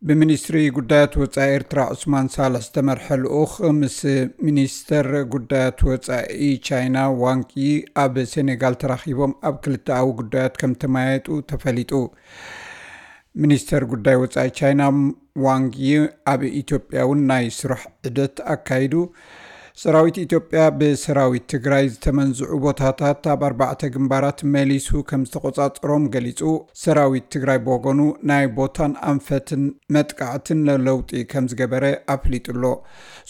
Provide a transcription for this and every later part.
ብሚኒስትሪ ጉዳያት ወጻኢ ኤርትራ ዑስማን ሳልሕ ዝተመርሐ ልኡኽ ምስ ሚኒስተር ጉዳያት ወጻኢ ቻይና ዋንግ ዪ ኣብ ሴኔጋል ተራኺቦም ኣብ ክልተኣዊ ጉዳያት ከም ተመያየጡ ተፈሊጡ። ሚኒስተር ጉዳይ ወጻኢ ቻይና ዋንግ ዪ ኣብ ኢትዮጵያ እውን ናይ ስራሕ ዑደት ኣካይዱ። ሰራዊት ኢትዮጵያ ብሰራዊት ትግራይ ዝተመንዝዑ ቦታታት ኣብ ኣርባዕተ ግንባራት መሊሱ ከም ዝተቆጻጸሮም ገሊጹ። ሰራዊት ትግራይ ብወገኑ ናይ ቦታን ኣንፈትን መጥቃዕትን ለለውጢ ከም ዝገበረ ኣፍሊጡ ኣሎ።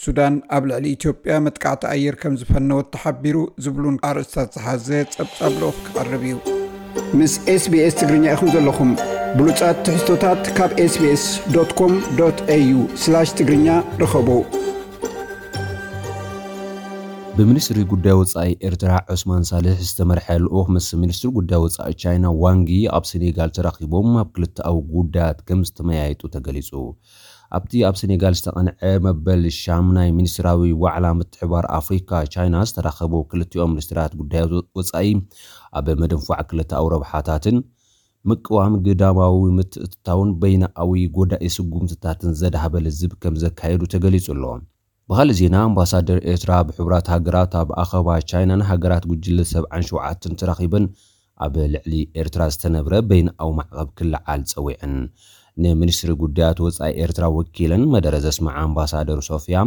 ሱዳን ኣብ ልዕሊ ኢትዮጵያ መጥቃዕቲ ኣየር ከም ዝፈነወት ተሓቢሩ ዝብሉን ኣርእስታት ዝሓዘ ጸብጻብ ልኡኽ ክቐርብ እዩ። ምስ ኤስቢኤስ ትግርኛ ኢኹም ዘለኹም። ብሉጻት ትሕዝቶታት ካብ ኤስቢኤስ ዶት ኮም ዶት ኤዩ ስላሽ ትግርኛ ርኸቡ። ብሚኒስትሪ ጉዳይ ወጻኢ ኤርትራ ዑስማን ሳልሕ ዝተመርሐ ልኡኽ ምስ ሚኒስትሪ ጉዳይ ወጻኢ ቻይና ዋንግ ዪ ኣብ ሴኔጋል ተራኺቦም ኣብ ክልተኣዊ ጉዳያት ከም ዝተመያየጡ ተገሊጹ። ኣብቲ ኣብ ሴኔጋል ዝተቐንዐ መበል ሻም ናይ ሚኒስትራዊ ዋዕላ ምትሕባር ኣፍሪካ ቻይና ዝተራኸቡ ክልቲኦም ሚኒስትራት ጉዳይ ወጻኢ ኣብ ምድንፋዕ ክልተኣዊ ረብሓታትን ምቅዋም ግዳማዊ ምትእትታውን በይናኣዊ ጎዳኢ ስጉምትታትን ዘድሃበ ልዝብ ከም ዘካየዱ ተገሊጹ ኣሎ። ብኻልእ ዜና፣ ኣምባሳደር ኤርትራ ኣብ ሕቡራት ሃገራት ኣብ ኣኸባ ቻይናን ሃገራት ጉጅለ ሰብዓን ሸውዓተን ተራኺበን ኣብ ልዕሊ ኤርትራ ዝተነብረ በይንኣዊ ማዕቐብ ክለዓል ጸዊዐን። ንሚኒስትሪ ጉዳያት ወጻኢ ኤርትራ ወኪለን መደረ ዘስምዓ ኣምባሳደር ሶፍያ፣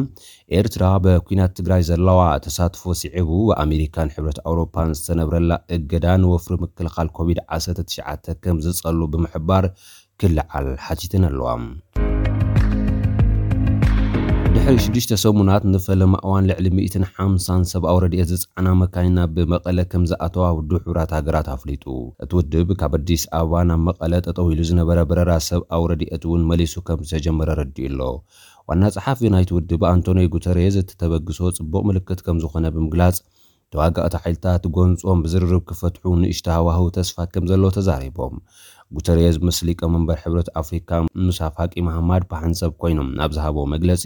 ኤርትራ በኲናት ትግራይ ዘለዋ ተሳትፎ ስዒቡ፣ ኣሜሪካን ሕብረት ኣውሮፓን ዝተነብረላ እገዳ ንወፍሪ ምክልኻል ኮቪድ ዓሰርተ ትሽዓተ ከም ዝጸሉ ብምሕባር ክለዓል ሓቲተን ኣለዋ። ድሕሪ ሽዱሽተ ሰሙናት ንፈለማ እዋን ልዕሊ ሚእትን ሓምሳን ሰብኣዊ ረድኤት ዝጸዓና መካይን ናብ መቐለ ከም ዝኣተዋ ውድብ ሕቡራት ሃገራት ኣፍሊጡ። እቲ ውድብ ካብ ኣዲስ ኣበባ ናብ መቐለ ጠጠው ኢሉ ዝነበረ በረራ ሰብኣዊ ረድኤት እውን መሊሱ ከም ዝተጀመረ ረዲኡ ኣሎ። ዋና ጸሓፊ ናይቲ ውድብ ኣንቶኒዮ ጉተሬዝ እቲ ተበግሶ ጽቡቕ ምልክት ከም ዝኾነ ብምግላጽ፣ ተዋጋእቲ ሓይልታት ጎንጾም ብዝርርብ ክፈትሑ ንእሽቶ ሃዋህው ተስፋ ከም ዘሎ ተዛሪቦም። ጉተሬዝ ምስ ሊቀመንበር ሕብረት ኣፍሪካ ሙሳ ፋቂ መሃማድ ብሓንሳብ ኮይኖም ኣብ ዝሃቦ መግለጺ፣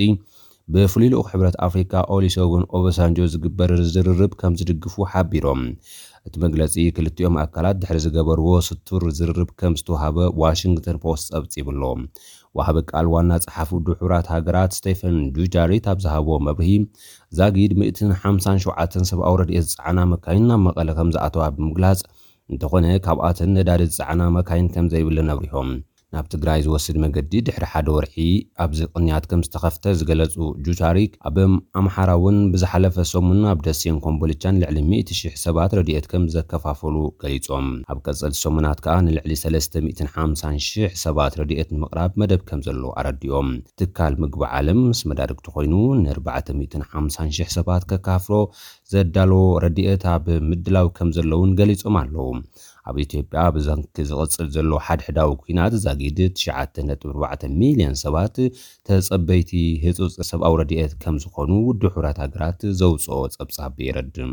ብፍሉይ ልኡኽ ሕብረት ኣፍሪካ ኦሊሰጉን ኦባሳንጆ ዝግበር ዝርርብ ከም ዝድግፉ ሓቢሮም። እቲ መግለጺ ክልቲኦም ኣካላት ድሕሪ ዝገበርዎ ስቱር ዝርርብ ከም ዝተዋሃበ ዋሽንግተን ፖስት ጸብጺቡ ኣሎ። ወሃቢ ቃል ዋና ጸሓፊ ውድብ ሕቡራት ሃገራት ስቴፈን ዱጃሪክ ኣብ ዝሃቦ መብርሂ፣ ዛጊድ ሚእትን ሓምሳን ሸውዓተን ሰብኣዊ ረድኤት ዝጸዓና መካይን ናብ መቐለ ከም ዝኣተዋ ብምግላጽ፣ እንተኾነ ካብኣተን ነዳዲ ዝጸዓና መካይን ከም ዘይብለን ኣብሪሆም። ናብ ትግራይ ዝወስድ መገዲ ድሕሪ ሓደ ወርሒ ኣብዚ ቅንያት ከም ዝተኸፍተ ዝገለጹ ጁቻሪክ፣ ኣብ ኣምሓራ እውን ብዝሓለፈ ሰሙን ኣብ ደሴን ኮምቦልቻን ልዕሊ ሚእቲ ሺሕ ሰባት ረድኤት ከም ዘከፋፈሉ ገሊጾም። ኣብ ቀጸልቲ ሰሙናት ከኣ ንልዕሊ ሰለስተ ሚእትን ሓምሳን ሺሕ ሰባት ረድኤት ንምቕራብ መደብ ከም ዘሎ ኣረዲኦም። ትካል ምግቢ ዓለም ምስ መዳርግቲ ኮይኑ ንኣርባዕተ ሚእትን ሓምሳን ሺሕ ሰባት ከካፍሎ ዘዳለዎ ረድኤት ኣብ ምድላው ከም ዘለውን ገሊጾም ኣለዉ። ኣብ ኢትዮጵያ ብሰንኪ ዝቕጽል ዘሎ ሓድሕዳዊ ኲናት ዛጊድ ትሽዓተ ነጥቢ ኣርባዕተ ሚልዮን ሰባት ተጸበይቲ ህጹጽ ሰብኣዊ ረድኤት ከም ዝኾኑ ውድብ ሕቡራት ሃገራት ዘውጽኦ ጸብጻብ የረድእ።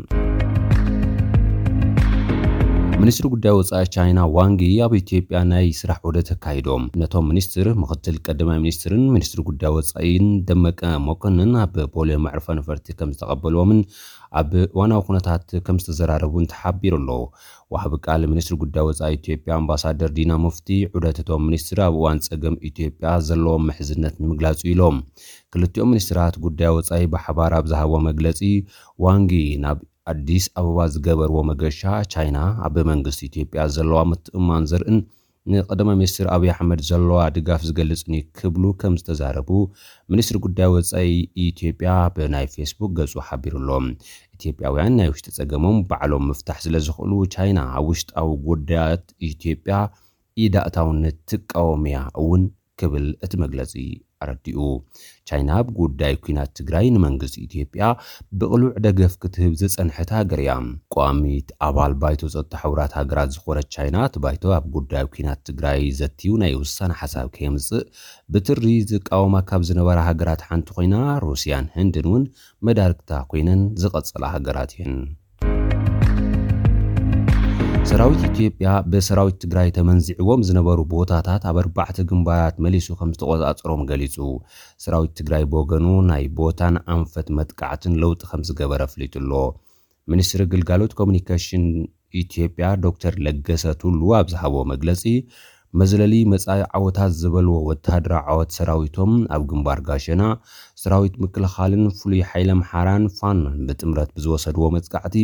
ሚኒስትሪ ጉዳይ ወጻኢ ቻይና ዋንግ ዪ ኣብ ኢትዮጵያ ናይ ስራሕ ዑደት ኣካይዶም። ነቶም ሚኒስትር ምኽትል ቀዳማይ ሚኒስትርን ሚኒስትሪ ጉዳይ ወጻኢን ደመቀ መኮንን ኣብ ቦሌ መዕርፎ ነፈርቲ ከም ዝተቐበልዎምን ኣብ እዋናዊ ኩነታት ከም ዝተዘራረቡን ተሓቢሩ ኣሎ። ወሃቢ ቃል ሚኒስትሪ ጉዳይ ወጻኢ ኢትዮጵያ ኣምባሳደር ዲና ሙፍቲ፣ ዑደት እቶም ሚኒስትር ኣብ እዋን ጸገም ኢትዮጵያ ዘለዎም ምሕዝነት ንምግላጽ እዩ ኢሎም። ክልቲኦም ሚኒስትራት ጉዳይ ወጻኢ ብሓባር ኣብ ዝሃብዎ መግለጺ፣ ዋንጊ ናብ ኣዲስ ኣበባ ዝገበርዎ መገሻ፣ ቻይና ኣብ መንግስቲ ኢትዮጵያ ዘለዋ ምትእምማን ዘርእን ንቀዳማይ ሚኒስትር ኣብይ ኣሕመድ ዘለዋ ድጋፍ ዝገልጽን እዩ ክብሉ ከም ዝተዛረቡ ሚኒስትሪ ጉዳይ ወጻኢ ኢትዮጵያ ብናይ ፌስቡክ ገጹ ሓቢሩ ኣሎ። ኢትዮጵያውያን ናይ ውሽጢ ጸገሞም ባዕሎም ምፍታሕ ስለ ዝኽእሉ፣ ቻይና ኣብ ውሽጣዊ ጉዳያት ኢትዮጵያ ኢድ ኣእታውነት ትቃወም እያ እውን ክብል እቲ መግለጺ ኣረዲኡ። ቻይና ኣብ ጉዳይ ኲናት ትግራይ ንመንግስቲ ኢትዮጵያ ብቕሉዕ ደገፍ ክትህብ ዝጸንሐት ሃገር እያ። ቋሚት ኣባል ባይቶ ጸጥታ ሕቡራት ሃገራት ዝኾነት ቻይና፣ እቲ ባይቶ ኣብ ጉዳይ ኲናት ትግራይ ዘትዩ ናይ ውሳነ ሓሳብ ከየምጽእ ብትሪ ዝቃወማ ካብ ዝነበራ ሃገራት ሓንቲ ኮይና፣ ሩስያን ህንድን እውን መዳርግታ ኮይነን ዝቐጸላ ሃገራት እየን። ሰራዊት ኢትዮጵያ ብሰራዊት ትግራይ ተመንዚዕዎም ዝነበሩ ቦታታት ኣብ ኣርባዕተ ግንባራት መሊሱ ከም ዝተቆጻጸሮም ገሊጹ። ሰራዊት ትግራይ ብወገኑ ናይ ቦታን ኣንፈት መጥቃዕትን ለውጢ ከም ዝገበረ ኣፍሊጡ ኣሎ። ሚኒስትሪ ግልጋሎት ኮሙኒኬሽን ኢትዮጵያ ዶክተር ለገሰ ቱሉ ኣብ ዝሃቦ መግለጺ፣ መዝለሊ መጻኢ ዓወታት ዝበልዎ ወተሃደራዊ ዓወት ሰራዊቶም ኣብ ግንባር ጋሸና፣ ሰራዊት ምክልኻልን ፍሉይ ሓይሊ ኣምሓራን ፋኖን ብጥምረት ብዝወሰድዎ መጥቃዕቲ፣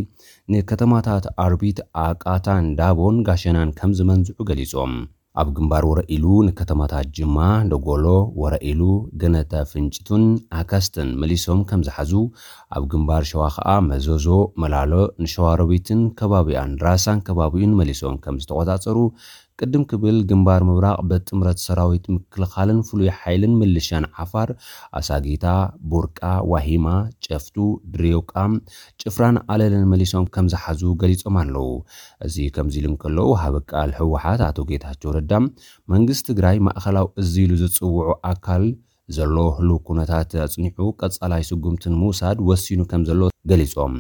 ንከተማታት ኣርቢት፣ ኣቃታን ዳቦን ጋሸናን ከም ዝመንዝዑ ገሊጾም። ኣብ ግንባር ወረኢሉ ንከተማታት ጅማ፣ ደጎሎ፣ ወረኢሉ፣ ገነተ ፍንጭቱን ኣካስትን መሊሶም ከም ዝሓዙ፣ ኣብ ግንባር ሸዋ ኸኣ መዞዞ፣ መላሎ፣ ንሸዋሮቢትን ከባቢኣን፣ ራሳን ከባቢኡን መሊሶም ከም ዝተቖጻጸሩ፣ ቅድም ክብል ግንባር ምብራቕ በጥምረት ሰራዊት ምክልኻልን ፍሉይ ሓይልን ምልሻን ዓፋር፣ ኣሳጊታ፣ ቡርቃ፣ ዋሂማ፣ ጨፍቱ፣ ድሬውቃ፣ ጭፍራን ኣለልን መሊሶም ከም ዝሓዙ ገሊጾም ኣለዉ። እዚ ከምዚ ኢሉ እንከሎ፣ ወሃቢ ቃል ህወሓት ኣቶ ጌታቸው ረዳ፣ መንግስቲ ትግራይ ማእኸላዊ እዚ ኢሉ ዝጽውዑ ኣካል ዘሎ ህሉው ኩነታት ኣጽኒዑ ቀጻላይ ስጉምቲ ንምውሳድ ወሲኑ ከም ዘሎ ገሊጾም።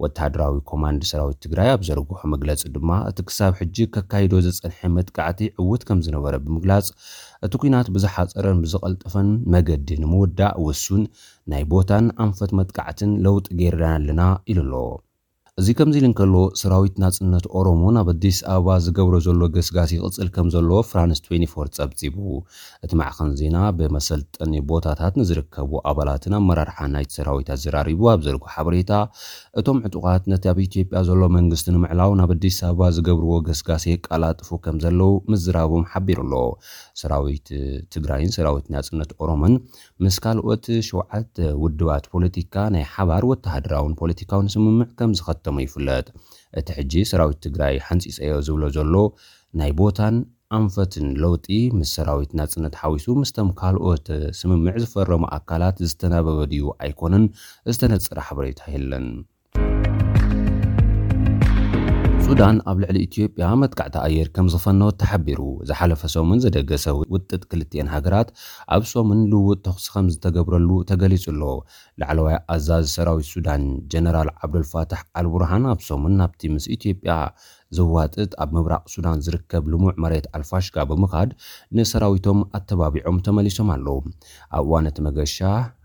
ወተሃደራዊ ኮማንድ ሰራዊት ትግራይ ኣብ ዘርግሖ መግለጺ ድማ፣ እቲ ክሳብ ሕጂ ከካይዶ ዝጸንሐ መጥቃዕቲ ዕዉት ከም ዝነበረ ብምግላጽ፣ እቲ ኲናት ብዝሓጸረን ብዝቐልጠፈን መገዲ ንምውዳእ ውሱን ናይ ቦታን ኣንፈት መጥቃዕትን ለውጢ ገይርና ኣለና ኢሉ ኣሎ። እዚ ከምዚ ኢሉ እንከሎ፣ ሰራዊት ናጽነት ኦሮሞ ናብ ኣዲስ ኣበባ ዝገብሮ ዘሎ ገስጋስ ይቕጽል ከም ዘሎ ፍራንስ ትዌንቲ ፎር ጸብጺቡ። እቲ ማዕኸን ዜና ብመሰልጠኒ ቦታታት ንዝርከቡ ኣባላትን ኣመራርሓ ናይቲ ሰራዊት ኣዘራሪቡ ኣብ ዘርግሖ ሓበሬታ፣ እቶም ዕጡቓት ነቲ ኣብ ኢትዮጵያ ዘሎ መንግስቲ ንምዕላው ናብ ኣዲስ ኣበባ ዝገብርዎ ገስጋስ የቀላጥፉ ከም ዘለዉ ምዝራቦም ሓቢሩ ኣሎ። ሰራዊት ትግራይን ሰራዊት ናጽነት ኦሮሞን ምስ ካልኦት ሸውዓተ ውድባት ፖለቲካ ናይ ሓባር ወተሃደራውን ፖለቲካውን ስምምዕ ከም ዝኸተሙ ይፍለጥ። እቲ ሕጂ ሰራዊት ትግራይ ሓንጺጸዮ ዝብሎ ዘሎ ናይ ቦታን ኣንፈትን ለውጢ፣ ምስ ሰራዊት ናጽነት ሓዊሱ፣ ምስቶም ካልኦት ስምምዕ ዝፈረሙ ኣካላት ዝተናበበ ድዩ ኣይኮነን ዝተነጸረ ሓበሬታ የለን። ሱዳን ኣብ ልዕሊ ኢትዮጵያ መጥቃዕቲ ኣየር ከም ዝፈነወት ተሓቢሩ። ዝሓለፈ ሰሙን ዝደገሰ ውጥጥ ክልቲኤን ሃገራት ኣብ ሰሙን ልውውጥ ተኹሲ ከም ዝተገብረሉ ተገሊጹ ኣሎ። ላዕለዋይ ኣዛዚ ሰራዊት ሱዳን ጀነራል ዓብዱልፋታሕ ኣልቡርሃን ኣብ ሰሙን ናብቲ ምስ ኢትዮጵያ ዝዋጥጥ ኣብ ምብራቕ ሱዳን ዝርከብ ልሙዕ መሬት ኣልፋሽጋ ብምኻድ ንሰራዊቶም ኣተባቢዖም ተመሊሶም ኣለዉ። ኣብ እዋን እቲ መገሻ፣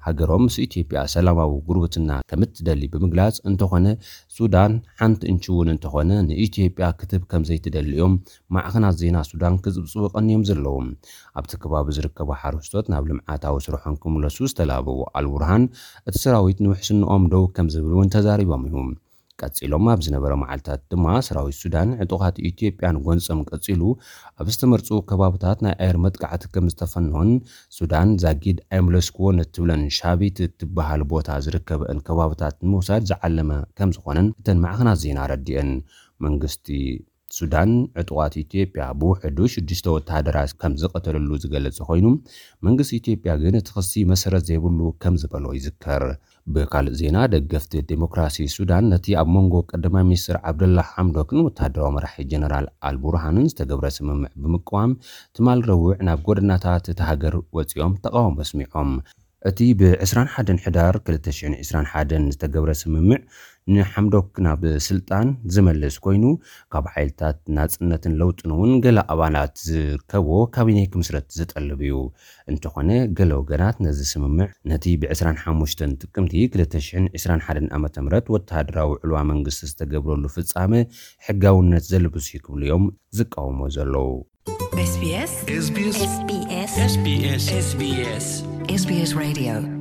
ሃገሮም ምስ ኢትዮጵያ ሰላማዊ ጉርብትና ከም እትደሊ ብምግላጽ፣ እንተኾነ ሱዳን ሓንቲ እንቺ እውን እንተኾነ ንኢትዮጵያ ክትህብ ከም ዘይትደሊ እዮም ማዕኸናት ዜና ሱዳን ክጽብጽቡ ቀንዮም ዘለዉ። ኣብቲ ከባቢ ዝርከቡ ሓረስቶት ናብ ልምዓታዊ ስርሖም ክምለሱ ዝተላበዉ ኣልቡርሃን፣ እቲ ሰራዊት ንውሕስንኦም ደው ከም ዝብል እውን ተዛሪቦም እዮም። ቀጺሎም ኣብ ዝነበረ መዓልታት ድማ ሰራዊት ሱዳን ዕጡቓት ኢትዮጵያን ጎንጾም ቀጺሉ ኣብ ዝተመርጹ ከባብታት ናይ ኣየር መጥቃዕቲ ከም ዝተፈነወን ሱዳን ዛጊድ ኣይምለስክዎን እትብለን ሻቢት እትበሃል ቦታ ዝርከበን ከባብታት ንምውሳድ ዝዓለመ ከም ዝኾነን እተን ማዕኸናት ዜና ኣረዲአን። መንግስቲ ሱዳን ዕጡቓት ኢትዮጵያ ብውሕዱ ሽዱሽተ ወተሃደራት ከም ዝቐተለሉ ዝገለጸ ኮይኑ፣ መንግስቲ ኢትዮጵያ ግን እቲ ክሲ መሰረት ዘይብሉ ከም ዝበሎ ይዝከር። ብካልእ ዜና፣ ደገፍቲ ዴሞክራሲ ሱዳን ነቲ ኣብ መንጎ ቀዳማይ ሚኒስትር ዓብደላ ሓምዶክን ወተሃደራዊ መራሒ ጀነራል ኣልቡርሃንን ዝተገብረ ስምምዕ ብምቅዋም፣ ትማል ረቡዕ ናብ ጎደናታት እታ ሃገር ወጺኦም ተቓውሞ ኣስሚዖም። እቲ ብ ዕስራን ሓደን ሕዳር ክልተ ሽሕን ዕስራን ሓደን ዝተገብረ ስምምዕ ንሓምዶክ ናብ ስልጣን ዝመልስ ኮይኑ፣ ካብ ሓይልታት ናጽነትን ለውጥን እውን ገለ ኣባላት ዝርከብዎ ካቢኔ ክምስረት ዝጠልብ እዩ። እንተኾነ፣ ገለ ወገናት ነዚ ስምምዕ ነቲ ብ ዕስራን ሓሙሽተን ጥቅምቲ ክልተ ሽሕን ዕስራን ሓደን ዓመተ ምህረት ወተሃደራዊ ዕልዋ መንግስቲ ዝተገብረሉ ፍጻመ ሕጋውነት ዘልብስ እዩ ክብሉ እዮም ዝቃወሞ ዘለዉ። SBS SBS SBS SBS SBS Radio